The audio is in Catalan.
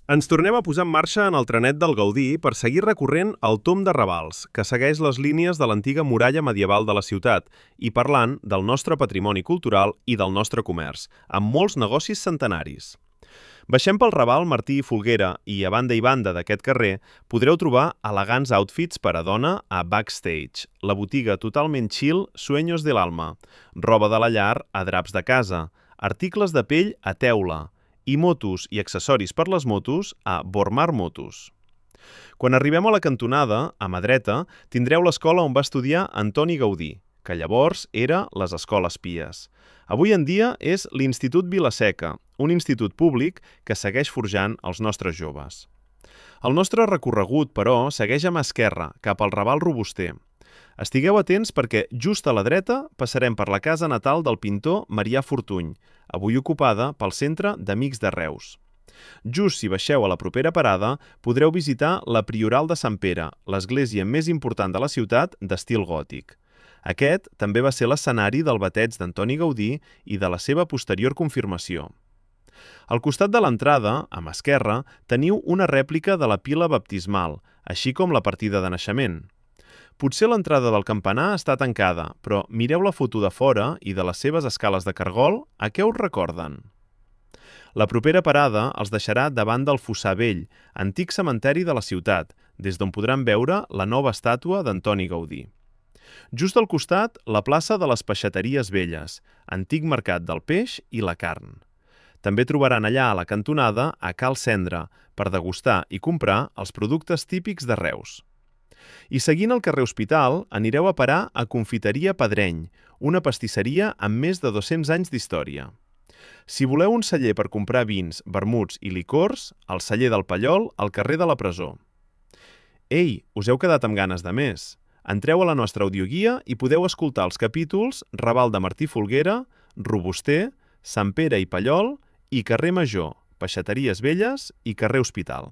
Ens tornem a posar en marxa en el trenet del Gaudí per seguir recorrent el Tom de Ravals, que segueix les línies de l'antiga muralla medieval de la ciutat, i parlant del nostre patrimoni cultural i del nostre comerç, amb molts negocis centenaris. Baixem pel Raval Martí i Folguera i i banda d'aquest carrer podreu trobar elegants outfits per a dona a Backstage, la botiga totalment chill Sueños del Alma, roba de la llar a draps de casa, articles de pell a teula, i motos i accessoris per les motos a Bormar Motos. Quan arribem a la cantonada, a mà dreta, tindreu l'escola on va estudiar Antoni Gaudí, que llavors era les Escoles Pies. Avui en dia és l'Institut Vila-seca, un institut públic que segueix forjant els nostres joves. El nostre recorregut, però, segueix a mà esquerra, cap al Raval Robuster. Estigueu atents perquè just a la dreta passarem per la casa natal del pintor Marià Fortuny, avui ocupada pel Centre d'Amics de Reus. Just si baixeu a la propera parada, podreu visitar la Prioral de Sant Pere, l'església més important de la ciutat d'estil gòtic. Aquest també va ser l'escenari del bateig d'Antoni Gaudí i de la seva posterior confirmació. Al costat de l'entrada, a mà esquerra, teniu una rèplica de la pila baptismal, així com la partida de naixement. Potser l'entrada del campanar està tancada, però mireu la foto de fora i de les seves escales de cargol, a què us recorden? La propera parada els deixarà davant del Fossar Vell, antic cementeri de la ciutat, des d'on podran veure la nova estàtua d'Antoni Gaudí. Just al costat, la plaça de les Peixateries Velles, antic mercat del peix i la carn. També trobaran allà a la cantonada a Cal Cendra, per degustar i comprar els productes típics de Reus. I seguint el carrer Hospital, anireu a parar a Confiteria Pedreny, una pastisseria amb més de 200 anys d'història. Si voleu un celler per comprar vins, vermuts i licors, el celler del Pallol, al carrer de la Presó. Ei, us heu quedat amb ganes de més? Entreu a la nostra audioguia i podeu escoltar els capítols Raval de Martí Folguera, Robuster, Sant Pere i Pallol i Carrer Major, Peixateries Velles i Carrer Hospital.